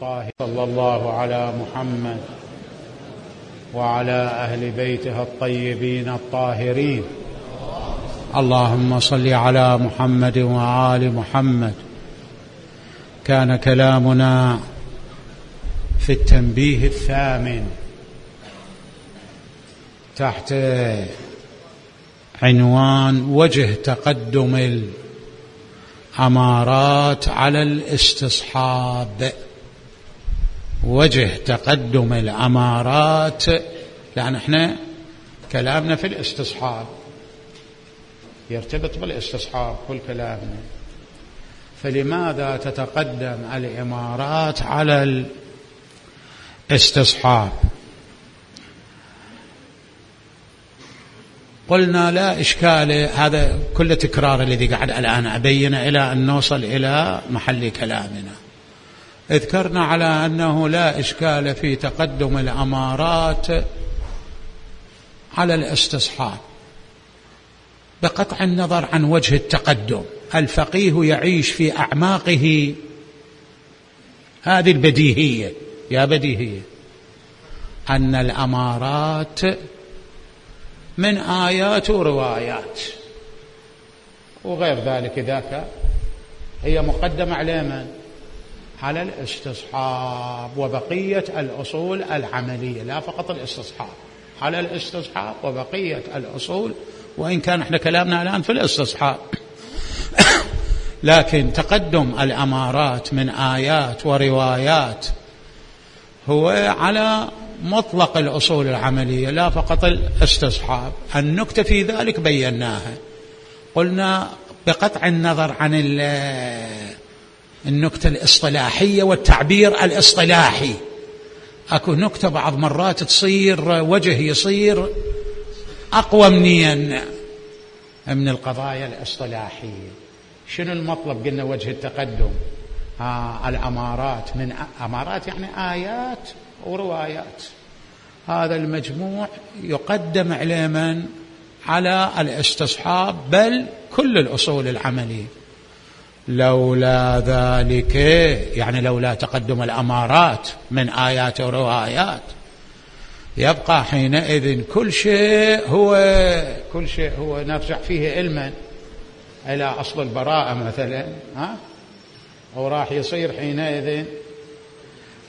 الطاهرين. صلى الله على محمد وعلى أهل بيته الطيبين الطاهرين. اللهم صل على محمد وآل محمد. كان كلامنا في التنبيه الثامن تحت عنوان وجه تقدم الأمارات على الاستصحاب. وجه تقدم الأمارات، لأن احنا كلامنا في الاستصحاب يرتبط بالاستصحاب كل كلامنا، فلماذا تتقدم الإمارات على الاستصحاب؟ قلنا لا إشكال، هذا كل تكرار الذي قاعد الآن أبينه إلى أن نوصل إلى محل كلامنا. اذكرنا على أنه لا إشكال في تقدم الأمارات على الاستصحاب بقطع النظر عن وجه التقدم. الفقيه يعيش في أعماقه هذه البديهية، يا بديهية، أن الأمارات من آيات وروايات وغير ذلك، ذاك هي مقدمة على من؟ على الاستصحاب وبقية الأصول العملية، لا فقط الاستصحاب، على الاستصحاب وبقية الأصول، وإن كان احنا كلامنا الآن في الاستصحاب. لكن تقدم الأمارات من آيات وروايات هو على مطلق الأصول العملية لا فقط الاستصحاب. النكتة في ذلك بيناها، قلنا بقطع النظر عن النكتة الاصطلاحية والتعبير الاصطلاحي. أكو نكتة بعض مرات تصير وجه يصير أقوى من القضايا الاصطلاحية. شنو المطلب؟ قلنا وجه التقدم الأمارات، من أمارات يعني آيات وروايات، هذا المجموع يقدم على من؟ على الاستصحاب، بل كل الأصول العملية. لولا ذلك، يعني لولا تقدم الأمارات من آيات وروايات، يبقى حينئذ كل شيء هو نرجع فيه علما إلى أصل البراءة مثلا، أو راح يصير حينئذ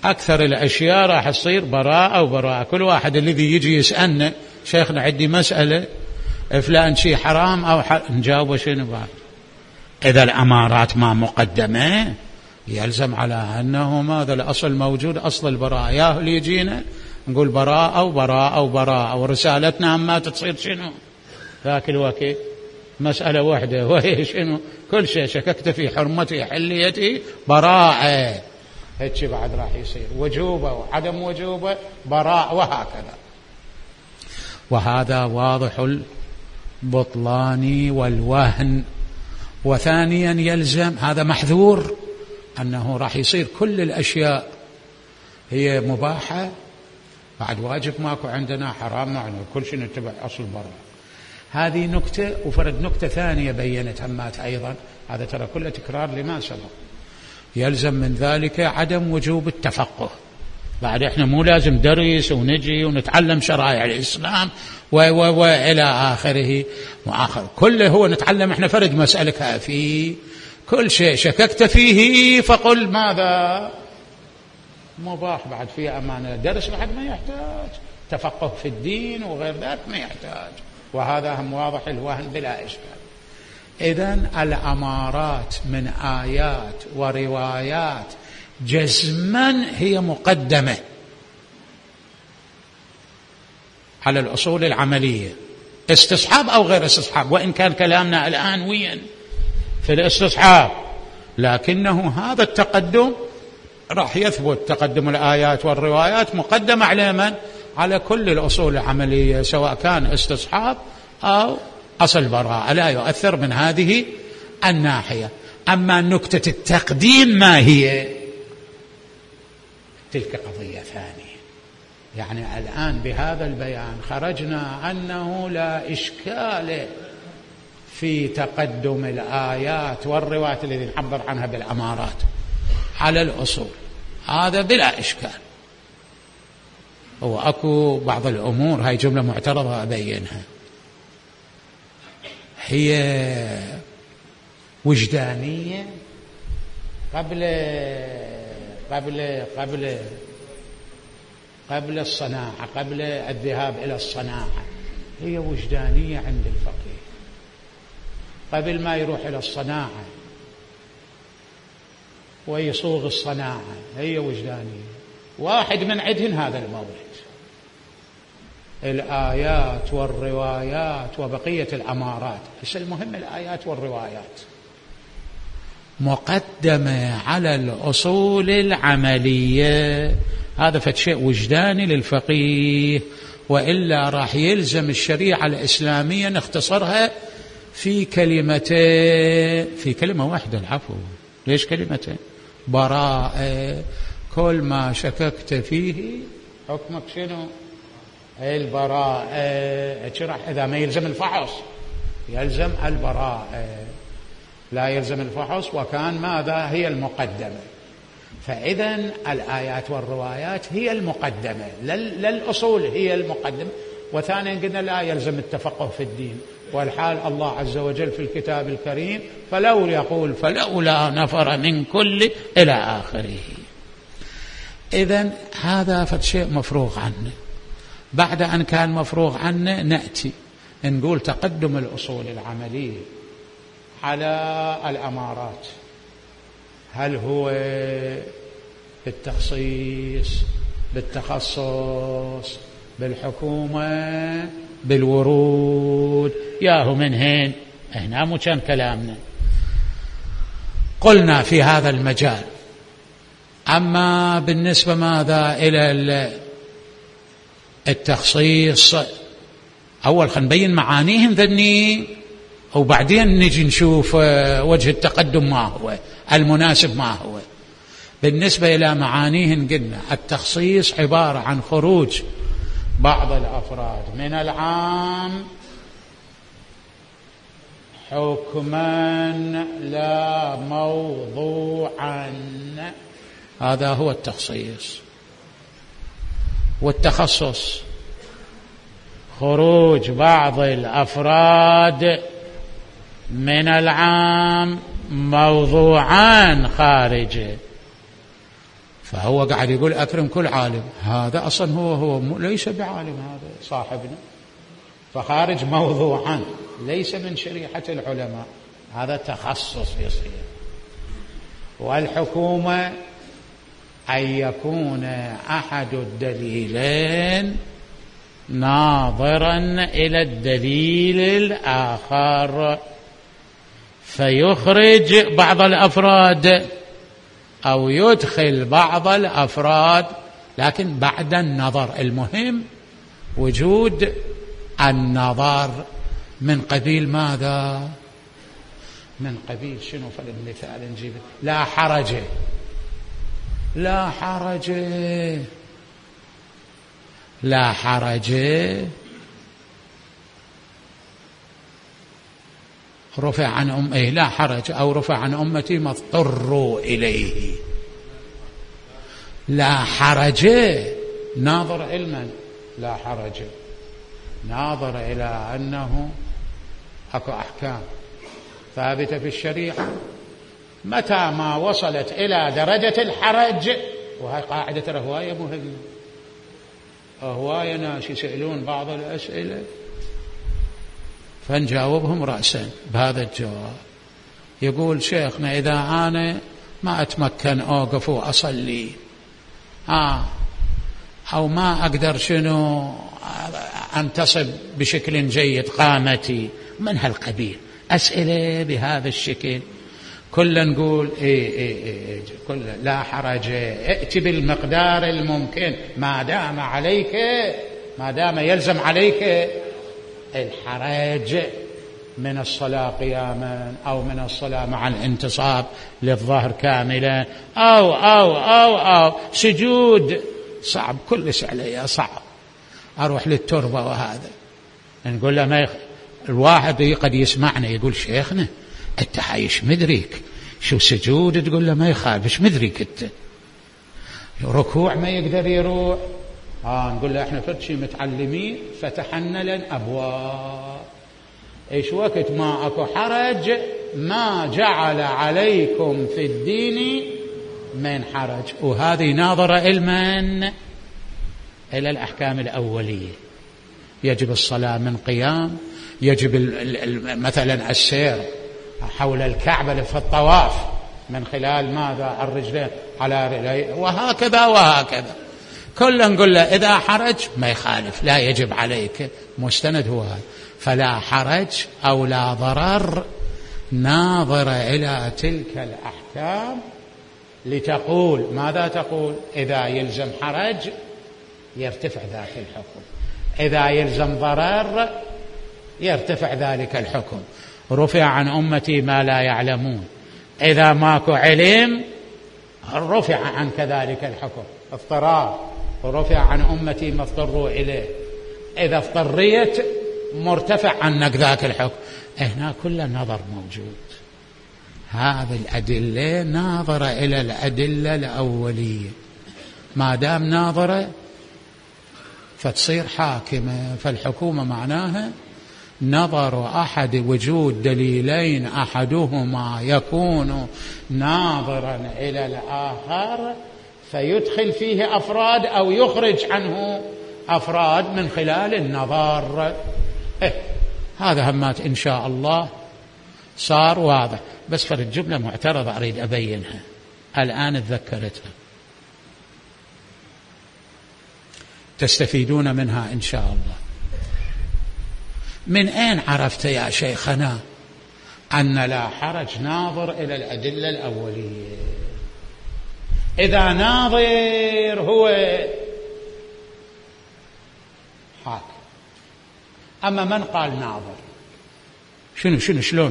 أكثر الأشياء راح تصير براءة وبراءة. كل واحد الذي يجي يسألنا شيخنا عندي مسألة فلان شيء حرام أو نجاوبه شنو بعد؟ إذا الأمارات ما مقدمة يلزم على أنه ماذا الأصل موجود، أصل البراءة. ياهو اللي يجينا نقول براءة وبراءة وبراءة، ورسالتنا ما تصير شنو ذاك الوقت مسألة واحدة، وهي شنو؟ كل شيء شككت في حرمته حليته براءة. هيك بعد راح يصير وجوبة وعدم وجوبة براء، وهكذا. وهذا واضح البطلان والوهن. وثانيا يلزم، هذا محذور، أنه راح يصير كل الأشياء هي مباحة، بعد واجب ماكو عندنا، حرام معنا، كل شيء نتبع أصل البراءة. هذه نكتة. وفرد نكتة ثانية بينت همات أيضا، هذا ترى كله تكرار لما سبق. يلزم من ذلك عدم وجوب التفقه. بعد احنا مو لازم درس ونجي ونتعلم شرائع الإسلام وإلى آخره وآخر، كله هو نتعلم احنا فرد مسألة في كل شيء شككت فيه فقل ماذا؟ مباح. بعد فيه أمانة، درس بعد ما يحتاج، تفقه في الدين وغير ذلك ما يحتاج. وهذا هم واضح الوهن بلا إشكال. إذن الأمارات من آيات وروايات جزما هي مقدمة على الأصول العملية، استصحاب أو غير استصحاب، وإن كان كلامنا الآن وين في الاستصحاب، لكنه هذا التقدم راح يثبت. تقدم الآيات والروايات مقدمة على من؟ على كل الأصول العملية، سواء كان استصحاب أو أصل براءة، لا يؤثر من هذه الناحية. أما نكتة التقديم ما هي؟ تلك قضية ثانية. يعني الآن بهذا البيان خرجنا أنه لا إشكال في تقدم الآيات والروايات التي نعبر عنها بالأمارات على الأصول. هذا بلا إشكال. هو أكو بعض الأمور، هاي جملة معترضة أبينها، هي وجدانية قبل الصناعة، قبل الذهاب إلى الصناعة، هي وجدانية عند الفقيه قبل ما يروح إلى الصناعة ويصوغ الصناعة، هي وجدانية. واحد من عندهن هذا المورد، الآيات والروايات وبقية الأمارات. بس المهم الآيات والروايات مقدمة على الأصول العملية، هذا فشيء وجداني للفقيه، وإلا راح يلزم الشريعة الإسلامية نختصرها في كلمتين، في كلمة واحدة، العفو، ليش كلمتين؟ براءة، كل ما شككت فيه حكمك شنو؟ البراءة. إذا ما يلزم الفحص يلزم البراءة، لا يلزم الفحص، وكان ماذا هي المقدمة. فإذا الآيات والروايات هي المقدمة، للأصول هي المقدمة. وثانيا قلنا لا يلزم التفقه في الدين، والحال الله عز وجل في الكتاب الكريم فلولا نفر من كل إلى آخره. إذن هذا فشيء مفروغ عنه. بعد أن كان مفروغ عنه نأتي نقول تقدم الأصول العملية على الأمارات، هل هو بالتخصيص، بالتخصص، بالحكومة، بالورود، ياهو من هين؟ هنا مو كان كلامنا. قلنا في هذا المجال. أما بالنسبة ماذا إلى التخصيص، أول خلينا نبين معانيهم ذني، وبعدين نجي نشوف وجه التقدم ما هو المناسب ما هو. بالنسبة إلى معانيهم قلنا التخصيص عبارة عن خروج بعض الأفراد من العام حكما لا موضوعا، هذا هو التخصيص. والتخصص خروج بعض الأفراد من العام موضوعان خارجه. فهو قاعد يقول أكرم كل عالم، هذا أصلا هو ليس بعالم، هذا صاحبنا، فخارج موضوعان ليس من شريحة العلماء، هذا تخصص يصير. والحكومة أن يكون أحد الدليلين ناظرا إلى الدليل الآخر فيخرج بعض الأفراد أو يدخل بعض الأفراد، لكن بعد النظر. المهم وجود النظر من قبيل ماذا؟ من قبيل شنو؟ فالمثال نجيب لا حرج، لا حرج، لا حرج رفع عن لا حرج، أو رفع عن أمتي ما اضطروا إليه. لا حرج ناظر علما، لا حرج ناظر إلى أنه أكو أحكام ثابتة في الشريعة، متى ما وصلت إلى درجة الحرج، وهي قاعدة هواية مهمة، هواية ناس يسألون بعض الأسئلة فنجاوبهم رأسا بهذا الجواب. يقول شيخنا إذا أنا ما أتمكن أوقف وأصلي أو ما أقدر شنو أنتصب بشكل جيد قامتي، من هالقبيل أسئلة بهذا الشكل، كل نقول كل لا حرج، ائت بالمقدار الممكن ما دام يلزم عليك الحرج من الصلاة قياما، أو من الصلاة مع الانتصاب للظهر كاملا، أو سجود صعب، كلش علي صعب أروح للتربة. وهذا نقول له ما الواحد قد يسمعنا يقول شيخنا أنت حايش مدرك شو سجود، تقول له ما يخالف، ايش مدرك أنت؟ ركوع ما يقدر يروح، نقول له احنا فرد شي متعلمين فتحنا لنا أبواب، ايش وقت ما اكو حرج ما جعل عليكم في الدين من حرج. وهذه ناظرة إلمن إلى الأحكام الأولية. يجب الصلاة من قيام، يجب مثلا السير حول الكعبة في الطواف من خلال ماذا؟ الرجلين على رجلين، وهكذا وهكذا. كلا نقول له إذا حرج ما يخالف، لا يجب عليك، مستند هو هذا. فلا حرج أو لا ضرر ناظرة إلى تلك الأحكام لتقول ماذا تقول؟ إذا يلزم حرج يرتفع ذاك الحكم، إذا يلزم ضرر يرتفع ذلك الحكم. رفع عن أمتي ما لا يعلمون، إذا ماكو علم رفع عن كذلك الحكم. اضطرار، ورفع عن أمتي ما اضطروا إليه، إذا اضطريت مرتفع عنك ذاك الحكم. هنا كل النظر موجود. هذه الأدلة ناظرة إلى الأدلة الأولية، ما دام ناظرة فتصير حاكمة. فالحكومة معناها نظر أحد وجود دليلين أحدهما يكون ناظرا إلى الآخر فيدخل فيه أفراد أو يخرج عنه أفراد من خلال النظر. هذا همات إن شاء الله صار واضح. بس فرد جملة معترضة أريد أبينها الآن اتذكرتها، تستفيدون منها إن شاء الله. من أين عرفت يا شيخنا أن لا حرج ناظر إلى الأدلة الأولية؟ إذا ناظر هو حاكم، أما من قال ناظر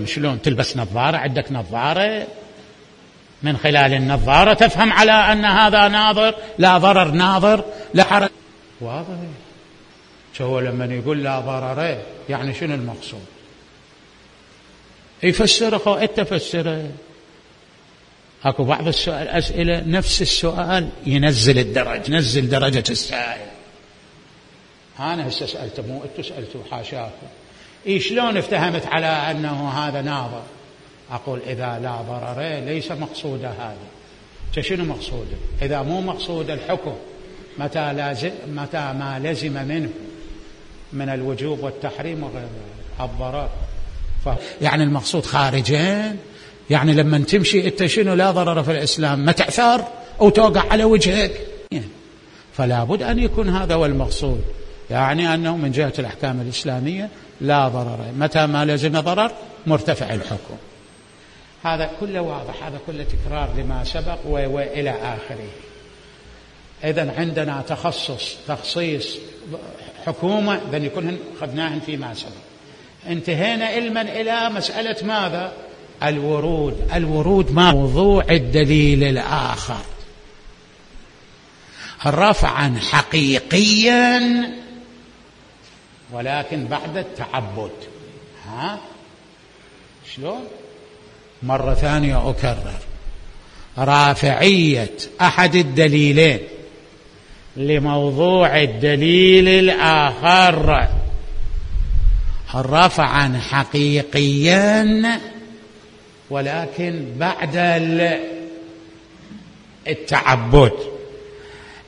شلون تلبس نظارة؟ عندك نظارة من خلال النظارة تفهم على أن هذا ناظر، لا ضرر ناظر لا حرج. واضح. هو لما يقول لا ضرر يعني شنو المقصود؟ يفسره أو تفسره. أكو بعض الأسئلة نفس السؤال ينزل الدرجة، نزل درجة السائل. أنا هسه سألته مو أنتوا سألتوا، حاشاكم. شلون افتهمت على أنه هذا ناظر؟ أقول إذا لا ضرر ليس مقصود هذا. شنو مقصوده؟ إذا مو مقصود الحكم متى ما لزم منه من الوجوب والتحريم وغير الضرر، يعني المقصود خارجين. يعني لما تمشي انت شنو لا ضرر في الإسلام؟ ما تعثر أو توقع على وجهك، فلا بد أن يكون هذا هو المقصود. يعني أنه من جهة الأحكام الإسلامية لا ضرر، متى ما لزم ضرر مرتفع الحكم. هذا كله واضح، هذا كله تكرار لما سبق وإلى آخره. إذن عندنا تخصيص حكومة، إذن يكون أخذناهن فيما سبق. انتهينا علما إلى مسألة ماذا؟ الورود موضوع الدليل الآخر رفعا حقيقيا ولكن بعد التعبد. شلون؟ مرة ثانية أكرر، رافعية أحد الدليلين لموضوع الدليل الآخر رفعا حقيقيا ولكن بعد التعبد.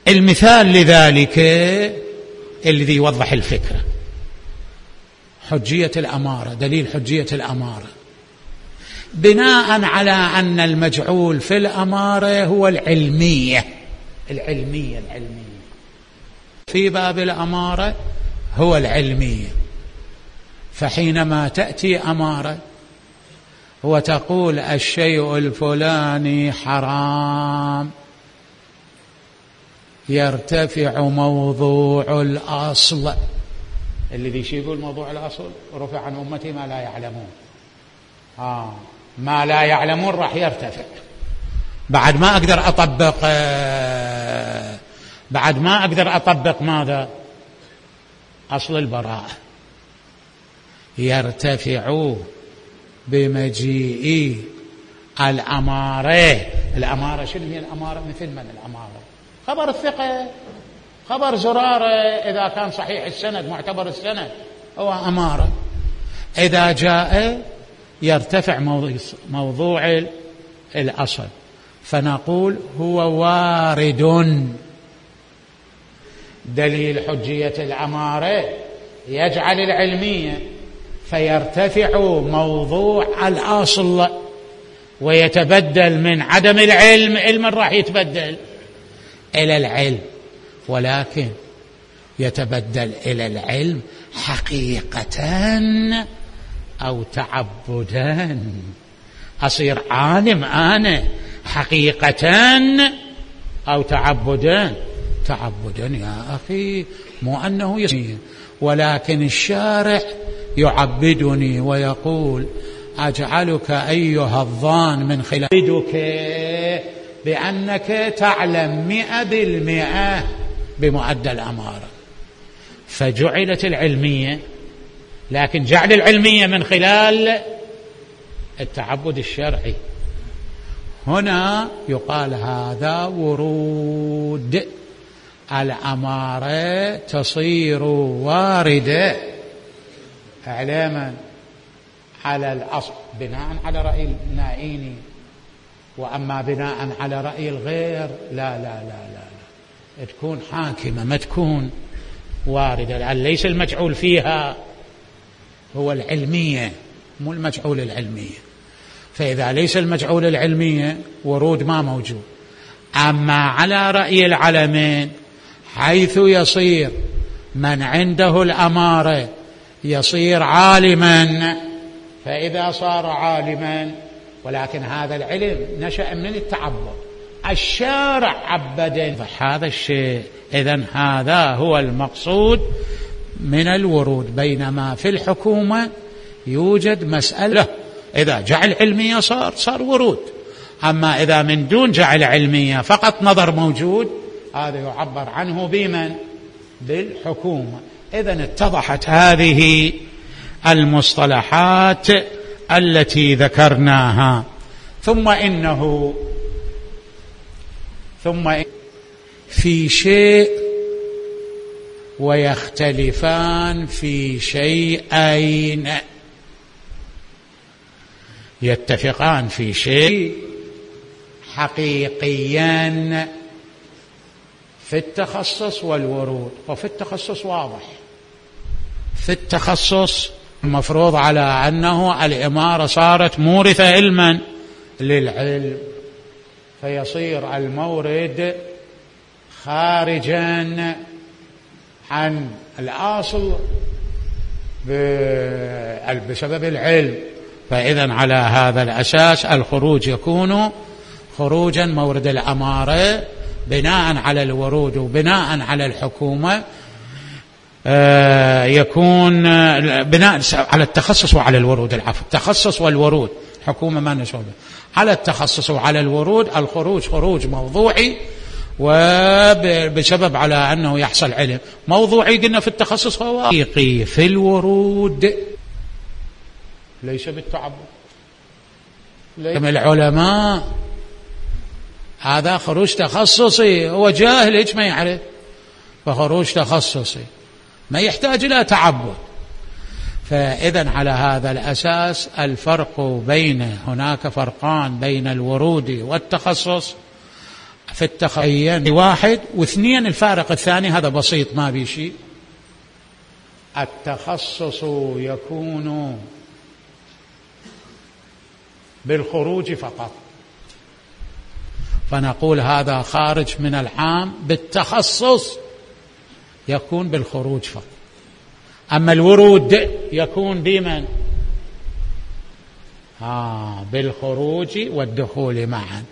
المثال لذلك الذي يوضح الفكرة حجية الأمارة، دليل حجية الأمارة بناء على أن المجعول في الأمارة هو العلمية في باب الأمارة هو العلمية. فحينما تأتي أمارة وتقول الشيء الفلاني حرام يرتفع موضوع الأصل. الذي يقول موضوع الأصل رفع عن أمتي ما لا يعلمون. ما لا يعلمون راح يرتفع. بعد ما أقدر أطبق ماذا؟ أصل البراءة. يرتفع بمجيء الأمارة. الأمارة شنو هي الأمارة؟ مثل من الأمارة؟ خبر الثقة، خبر زرارة إذا كان صحيح السند معتبر السند هو أمارة. إذا جاء يرتفع موضوع الأصل، فنقول هو وارد. دليل حجية الأمارة يجعل العلمية، فيرتفع موضوع الأصل ويتبدل من عدم العلم، علم راح يتبدل إلى العلم، ولكن يتبدل إلى العلم حقيقة أو تعبدا. أصير عالم أنا حقيقة أو تعبدا؟ تعبدا يا أخي، مو أنه يصير، ولكن الشارع يعبدني ويقول أجعلك أيها الظان من خلال بدك بأنك تعلم 100% بمؤدى الأمارة. فجعلت العلمية، لكن جعل العلمية من خلال التعبد الشرعي. هنا يقال هذا ورود. الأمارة تصير واردة إعلاما على الأصل بناء على رأي النائيني، وأما بناء على رأي الغير لا لا لا لا, لا. تكون حاكمة، ما تكون واردة، لأن ليس المجعول فيها هو العلمية، مو المجعول العلمية. فإذا ليس المجعول العلمية ورود ما موجود. أما على رأي العلمين حيث يصير من عنده الأمارة يصير عالما، فإذا صار عالما، ولكن هذا العلم نشأ من التعبد، الشارع عبده، فهذا الشيء. إذن هذا هو المقصود من الورود. بينما في الحكومة يوجد مسألة إذا جعل علمية صار ورود، أما إذا من دون جعل علمية فقط نظر موجود، هذا يعبر عنه بمن؟ بالحكومة. إذن اتضحت هذه المصطلحات التي ذكرناها. ثم في شيء ويختلفان في شيئين، يتفقان في شيء حقيقيا في التخصص والورود. وفي التخصص واضح، في التخصص المفروض على أنه الإمارة صارت مورثة علما للعلم، فيصير المورد خارجا عن الأصل بسبب العلم. فإذا على هذا الأساس الخروج يكون خروجا مورد الأمارة بناء على الورود وبناء على الحكومة، يكون بناء على التخصص وعلى الورود. العفو، التخصص والورود، حكومة ما نسوي على التخصص وعلى الورود. الخروج خروج موضوعي، وبسبب على أنه يحصل علم موضوعي. قلنا في التخصص هو حقيقي، في الورود ليس بالتعبد. العلماء هذا خروج تخصصي، هو جاهل ايش ما يعرف، فخروج تخصصي ما يحتاج إلى تعبد. فإذا على هذا الأساس الفرق هناك فرقان بين الورود والتخصص. في التخصص واحد، واثنين الفارق الثاني هذا بسيط ما بيشي. التخصص يكون بالخروج فقط، فنقول هذا خارج من العام. بالتخصص يكون بالخروج فقط. أما الورود يكون بمن؟ بالخروج والدخول معا،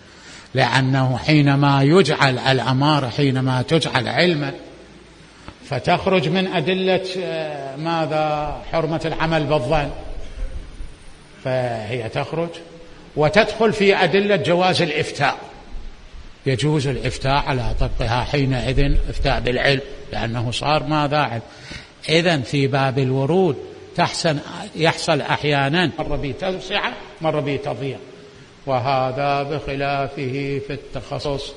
لأنه حينما يجعل الأمارة، حينما تجعل علما، فتخرج من أدلة ماذا؟ حرمة العمل بالظن، فهي تخرج وتدخل في أدلة جواز الإفتاء. يجوز الإفتاء على طبقها حينئذ إفتاء بالعلم، لأنه صار ماذا؟ علم. إذن في باب الورود يحصل أحيانا مرة بتوسعة مرة بتضييق، وهذا بخلافه في التخصص.